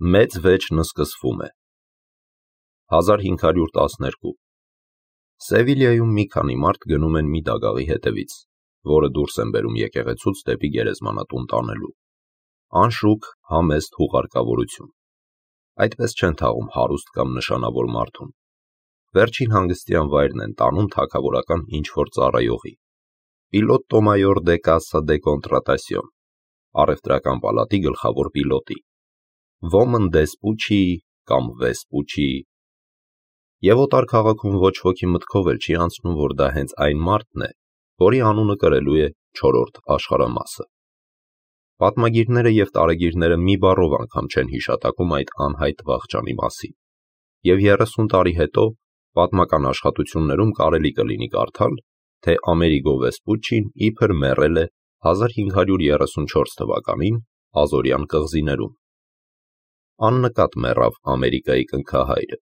Մեծ վեճն սկսվում է։ 1512 Սևիլիայում մի քանի մարդ գնում են մի դագաղի հետևից, որը դուրս են բերում եկեղեցուց դեպի գերեզմանատուն տանելու։ Անշուք համեստ հուղարկավորություն։ Այդպես չեն թաղում հարուստ կամ նշանավոր մարդուն։ Վերջին հանգստյան վայրն են տանում թագավորական ինչ-որ ծառայողի։ Պիլոտո մայոր դե կասա դե կոնտրատասիոն, առևտրական պալատի գլխավոր պիլոտի, ոմն դեսպուչի կամ վեսպուչի։ Եվ օտար քաղաքում ոչ ոքի մտքով էլ չի անցնում, որ դա հենց այն մարդն է, որի անունը կրելու է 4-րդ աշխարհամասը։ Պատմագիրները և տարեգիրները մի բառով անգամ չեն հիշատակում այդ անհայտ վախճանի մասին, և 30 տարի հետո պատմական աշխատություններում կարելի կլինի կարդալ, թե Ամերիգո Վեսպուչին իբր մեռել է 1534 թվականին Ազորյան կղզիներում։ Աննկատ մեռավ Ամերիկայի կնքահայրը։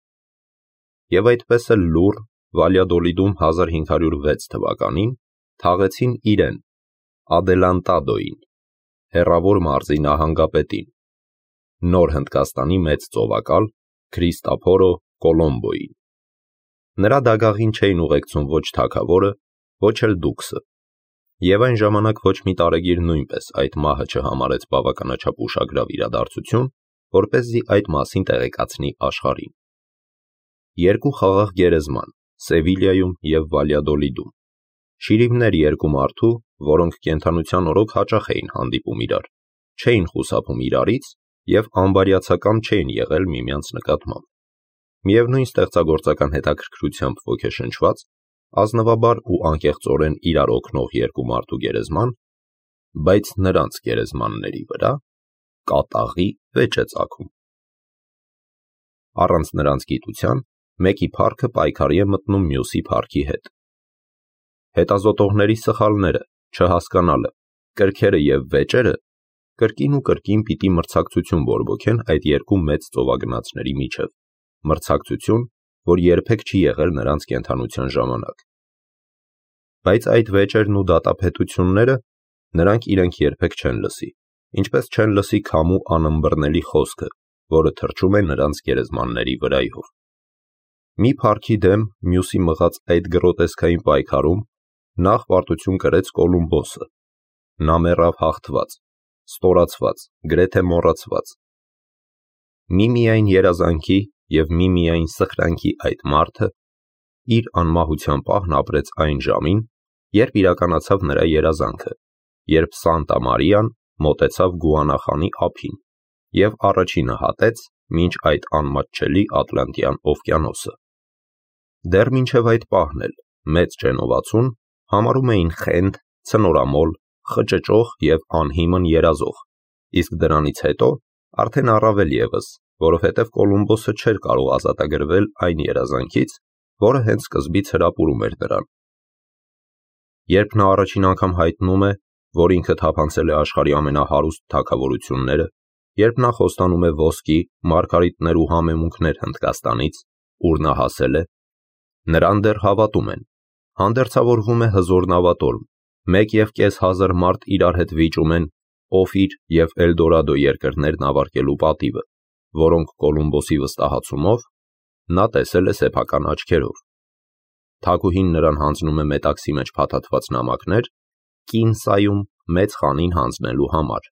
Եվ այդպես էլ լուռ Վալյադոլիդում 1506 թվականին թաղեցին իրեն, Ադելանտադոին, հեռավոր մարզի նահանգապետին, նոր Հնդկաստանի մեծ ծովակալ Քրիստափորո Կոլոմբոին։ Նրա դագաղին չէին ուղեկցում ոչ թագավորը, ոչ էլ դուքսը, և այն ժամանակ ոչ մի տարեգիր նույնպես այդ մահը չհամարեց բավականաչափ ուշագրավ իրադարձություն, որպեսզի այդ մասին տեղեկացնի աշխարհին։ Երկու խաղաղ գերեզման Սևիլիայում և Վալյադոլիդում, շիրիմներ երկու մարդու, որոնք կենդանության օրոք հաճախ էին հանդիպում իրար, չէին խուսափում իրարից և անբարյացակամ չէին եղել միմյանց նկատմամբ։ Միևնույն ստեղծագործական հետաքրքրությամբ ոգեշնչված, ազնվաբար ու անկեղծորեն իրար օգնող երկու մարդու գերեզման, բայց նրանց գերեզմանների վրա կատաղի վեճ է ծագում։ Առանց նրանց գիտության մեկի փառքը պայքարի է մտնում մյուսի փառքի հետ։ Հետազոտողների սխալները, չհասկանալը, կրքերը և վեճերը կրկին ու կրկին պիտի մրցակցություն բորբոքեն այդ երկու մեծ ծովագնացների միջև, մրցակցություն, որ երբեք չի եղել նրանց կենդանության ժամանակ։ Բայց այդ վեճերն ու դատապետությունները նրանք իրենք երբեք չեն լսի, ինչպես չեն լսի քամու անըմբռնելի խոսքը, որը թռչում է նրանց գերեզմանների վրայով։ Մի փառքի դեմ մյուսի մղած այդ գրոտեսկային պայքարում նախ պարտություն կրեց Կոլումբոսը։ Նա մեռավ հաղթված, ստորացված, գրեթե մոռացված։ Միմիայն երազանքի և միմիայն սխրանքի այդ մարդը իր անմահության պահն ապրեց այն ժամին, երբ իրականացավ նրա երազանքը, երբ Սանտա Մարիան մոտեցավ Գուանախանի ափին և առաջինը հատեց մինչ այդ անմատչելի Ատլանտյան օվկիանոսը։ Դեռ մինչև այդ պահն էլ մեծ ճենովացուն համարում էին խենթ, ցնորամոլ, խճճող և անհիմն երազող, իսկ դրանից հետո արդեն առավել ևս, որովհետև Կոլումբոսը չէր կարող ազատագրվել այն երազանքից, որը հենց սկզբից հրապուրում էր նրան։ Երբ նա առաջին անգամ հայտնում է, որ ինքը թափանցել է աշխարհի ամենահարուստ թագավորությունները, երբ նա խոստանում է ոսկի, մարգարիտներ ու համեմունքներ Հնդկաստանից, ուր նա հասել է, նրան դեռ հավատում են, հանդերձավորվում է հզոր նավատորմ, 1,500 մարդ իրար հետ վիճում են Օֆիր և Էլդորադո երկրներն ավարտելու պատիվը, որոնք Կոլումբոսի վստահացումով նա տեսել է սեփական աչքերով։ Թագուհին նրան հանձնում է մետաքսի մեջ փաթաթված նամակներ Կինսայում մեծ խանին հանձնելու համար,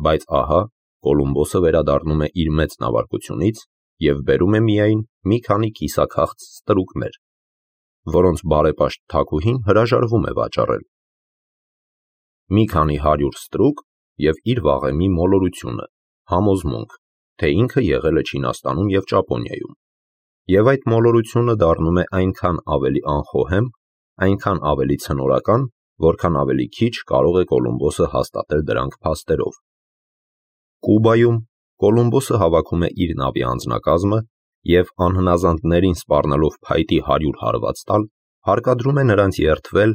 բայց ահա Կոլումբոսը վերադառնում է իր մեծ նավարկությունից և բերում է միայն մի քանի կիսաքաղց ստրուկներ, որոնց բարեպաշտ թագուհին հրաժարվում է վաճառել։ Մի քանի 100 ստրուկ և իր վաղեմի մոլորությունը, համոզմունք, թե ինքը եղել է Չինաստանում և Ճապոնիայում, և այդ մոլորությունը դառնում է այնքան ավելի անխոհեմ, այնքան ավելի ցնորական, որքան ավելի քիչ կարող է Կոլումբոսը հաստատել դրանք փաստերով։ Կուբայում Կոլումբոսը հավաքում է իր նավի անձնակազմը և անհնազանդներին սպառնալով փայտի 100 հարված տալ, հարկադրում է նրանց երդվել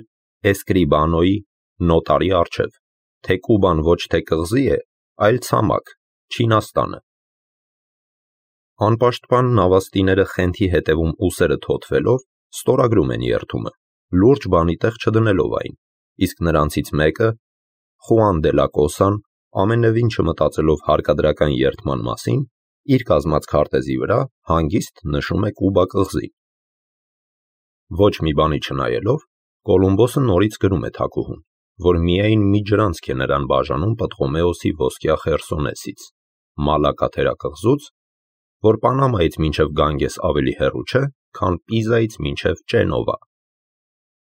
Էսկրիբանոյի նոտարի առջև, թե Կուբան ոչ թե կղզի է, այլ ցամաք, Չինաստանը։ Անպաշտպան նավաստիները Խենթի հետևում ուսերը թոթվելով ստորագրում են երդումը, լուրջ բանի տեղ չդնելով այն, իսկ նրանցից մեկը, Խուան դե լա Կոսան, ամենևին չմտածելով հարկադրական երդման մասին, իր կազմած քարտեզի վրա հանգիստ նշում է Կուբա կղզին։ Ոչ մի բանի չնայելով, Կոլումբոսը նորից գրում է թագուհուն, որ միայն մի ջրանցք է նրան բաժանում Պտղոմեոսի ոսկյա Խերսոնեսից, Մալակա թերակղզուց, որ Պանամայից մինչև Գանգես ավելի հեռու չէ, քան Պիզայից մինչև Ճենովա։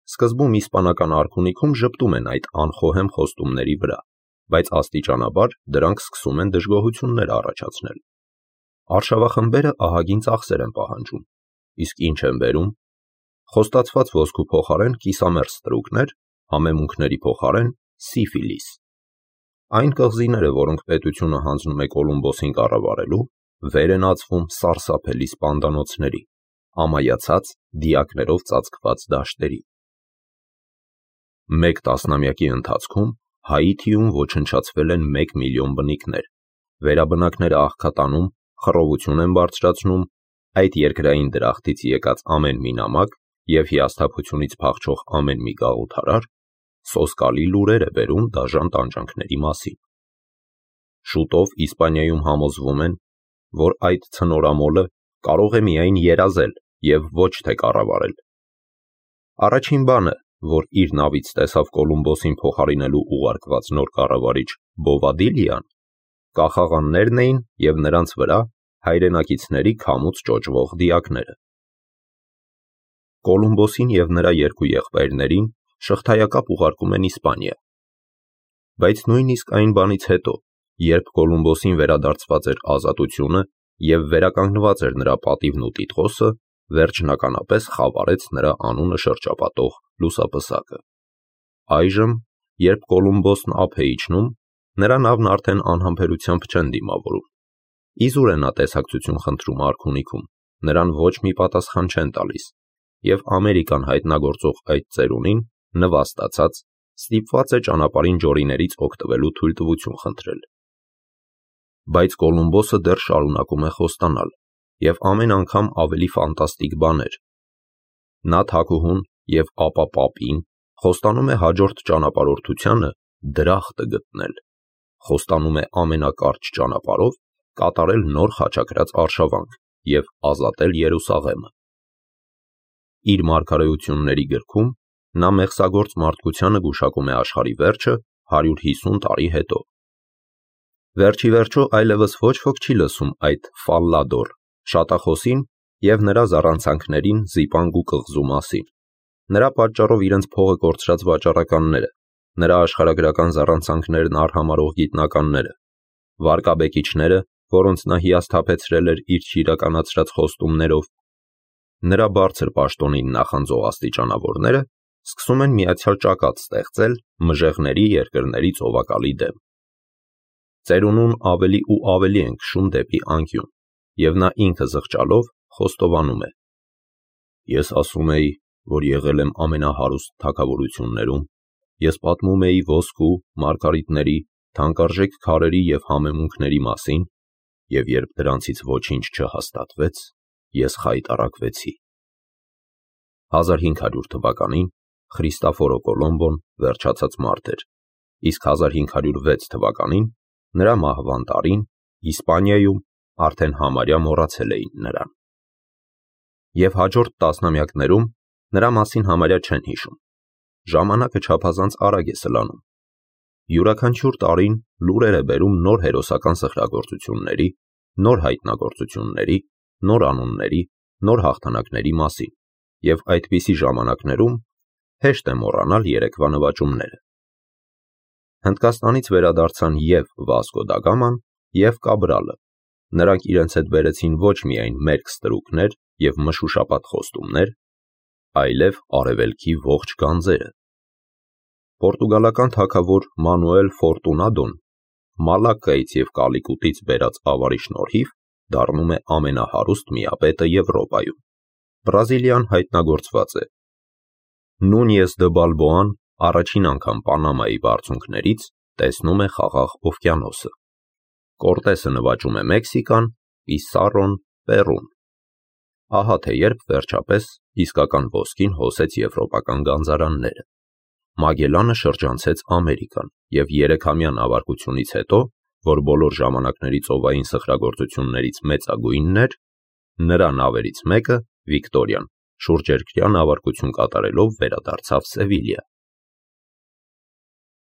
Սկզբում իսպանական արքունիքում ժպտում են այդ անխոհեմ խոստումների վրա, բայց աստիճանաբար դրանք սկսում են դժգոհություններ առաջացնել։ Արշավախմբերը ահագին ծախսեր են պահանջում, իսկ ինչ են բերում։ Խոստացված ոսկու փոխարեն կիսամերձ ստրուկներ, համեմունքների փոխարեն սիֆիլիս։ Այն կղզիները, որոնք պետությունը հանձնում է Կոլումբոսին կառավարելու, վեր են ածվում սարսափելի սպանդանոցների, ամայացած դիակներով ծածկված դաշտերի։ Մեկ տասնամյակի ընթացքում Հայիթիում ոչնչացվել են 1 միլիոն բնիկներ, վերաբնակները աղքատանում, խռովություն են բարձրացնում, այդ երկրային դրախտից եկած ամեն մի նամակ և հիասթափությունից փախչող ամեն մի գաղութարար սոսկալի լուրեր է բերում դաժան տանջանքների մասին։ Շուտով Իսպանիայում համոզվում են, որ այդ ցնորամոլը կարող է միայն երազել և ոչ թե կառավարել։ Առաջին բանը, որ իր նավից տեսավ Կոլումբոսին փոխարինելու ուղարկված նոր կառավարիչ Բովադիլիան, կախաղաններն էին և նրանց վրա հայրենակիցների քամուց ճոճվող դիակները։ Կոլումբոսին և նրա երկու եղբայրներին շղթայակապ ուղարկում են Իսպանիա։ Բայց նույնիսկ այն բանից հետո, երբ Կոլումբոսին վերադարձված էր ազատությունը և վերականգնված էր նրա պատիվն ու տիտղոսը, վերջնականապես խավարեց նրա անունը շրջապատող լուսապսակը։ Այժմ, երբ Կոլումբոսն ափ է իջնում, նրա նավն արդեն անհամբերությամբ չեն դիմավորում։ Իզուր է նա տեսակցություն խնդրում արքունիքում, նրան ոչ մի պատասխան չեն տալիս, և Ամերիկան հայտնագործող այդ ծերունին, նվաստացած, ստիպված է ճանապարհին ջորիներից օգտվելու թույլտվություն խնդրել։ Բայց Կոլումբոսը դեռ շարունակում է խոստանալ, և ամեն անգամ ավելի ֆանտաստիկ բաներ։ Նա թագուհուն և ապա պապին խոստանում է հաջորդ ճանապարհորդությանը դրախտը գտնել, խոստանում է ամենակարճ ճանապարհով կատարել նոր խաչակրած արշավանք և ազատել Երուսաղեմը։ Իր մարգարեությունների գրքում նա մեղսագործ մարդկությանը գուշակում է աշխարհի վերջը 150 տարի հետո։ Վերջիվերջո այլևս ոչ ոք չի լսում այդ Ֆալլադոր շատախոսին և նրա զառանցանքներին Զիպանգու կղզու մասին, նրա պատճառով իրենց փողը կորցրած վաճառականները, նրա աշխարհագրական զառանցանքներն արհամարհող գիտնականները, վարկաբեկիչները, որոնց նա հիասթափեցրել էր իր չիրականացրած խոստումներով, նրա բարձր պաշտոնին նախանձող աստիճանավորները սկսում են միացյալ ճակատ ստեղծել մժեղների երկրների ծովակալի դեմ։ Ծերունուն ավելի ու ավելի են քշում դեպի անկյուն, և նա ինքը զղջալով խոստովանում է. «Ես ասում էի, որ եղել եմ ամենահարուստ թագավորություններում, ես պատմում էի ոսկու, մարգարիտների, թանկարժեք քարերի և համեմունքների մասին, և երբ դրանցից ոչինչ չհաստատվեց, ես խայտառակվեցի»։ 1500 թվականին Խրիստաֆորո Կոլոմբոն վերջացած մարդ էր, իսկ 1506 թվականին նրա մահվան տարին Իսպանիայում արդեն համարյա մոռացել էին նրան։ Եվ հաջորդ տասնամյակներում նրա մասին համարյա չեն հիշում։ Ժամանակը չափազանց արագ է սլանում։ Յուրաքանչյուր տարին լուրեր է բերում նոր հերոսական սխրագործությունների, նոր հայտնագործությունների, նոր անունների, նոր հաղթանակների մասին, և այդպիսի ժամանակներում հեշտ է մոռանալ երեկվա նվաճումները։ Հնդկաստանից վերադարձան և Վասկո դա Գաման, և Կաբրալը։ Նրանք իրենց հետ բերեցին ոչ միայն մերկ ստրուկներ և մշուշապատ խոստումներ, այլև արևելքի ողջ գանձերը։ Պորտուգալական թագավոր Մանուել Ֆորտունադոն Մալակկայից և Կալիկուտից բերած ավարի շնորհիվ դառնում է ամենահարուստ միապետը Եվրոպայում։ Բրազիլիան հայտնագործված է։ Նունյես դը Բալբոան առաջին անգամ Պանամայի բարձունքներից տեսնում է խաղաղ օվկիանոսը։ Կորտեսը նվաճում է Մեքսիկան, Պիսարրոն՝ Պերուն։ Ահա թե երբ վերջապես իսկական ոսկին հոսեց եվրոպական գանձարանները։ Մագելլանը շրջանցեց Ամերիկան և 3-ամյա նավարկությունից հետո որ բոլոր ժամանակների ծովային սխրագործություններից մեծագույնն էր, նրա նավերից մեկը՝ Վիկտորիան, շուրջերկրյա նավարկություն կատարելով վերադարձավ Սևիլիա։